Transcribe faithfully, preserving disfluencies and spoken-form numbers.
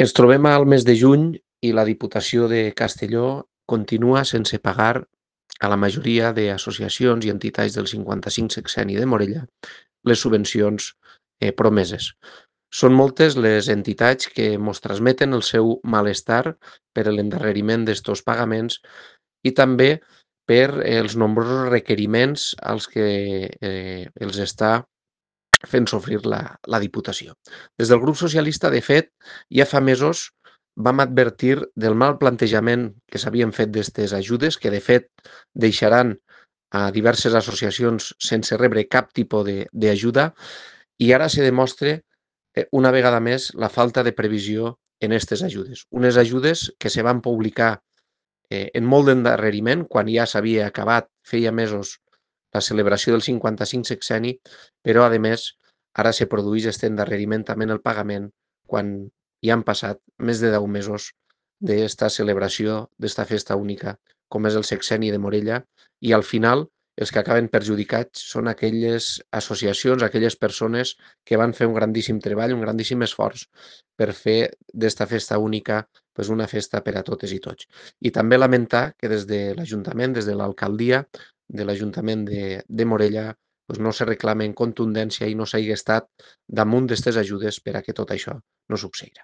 Ens trobem al mes de juny i la Diputació de Castelló continua sense pagar a la majoria d'associacions i entitats del cinquanta-cinc sexenni de Morella les subvencions eh, promeses. Són moltes les entitats que ens transmeten el seu malestar per l'endarreriment d'estos pagaments i també per els nombrosos requeriments als que eh, els està fent sofrir la, la Diputació. Des del grup socialista, de fet, ja fa mesos vam advertir del mal plantejament que s'havien fet d'aquestes ajudes, que de fet deixaran a diverses associacions sense rebre cap tipus d'ajuda, i ara se demostra eh, una vegada més la falta de previsió en aquestes ajudes. Unes ajudes que se van publicar eh, en molt d'endarreriment, quan ja s'havia acabat, feia mesos, la celebració del cinquanta-cinc sexenni, però, a més, ara se produeix aquest endarreriment també en el pagament, quan ja han passat més de deu mesos d'esta celebració, d'esta festa única, com és el sexenni de Morella, i al final els que acaben perjudicats són aquelles associacions, aquelles persones que van fer un grandíssim treball, un grandíssim esforç per fer d'esta festa única pues, una festa per a totes i tots. I també lamentar que des de l'Ajuntament, des de l'alcaldia de l'Ajuntament de, de Morella, pues no se reclama en contundència i no s'hagi estat damunt d'aquestes ajudes per a que tot això no succeirà.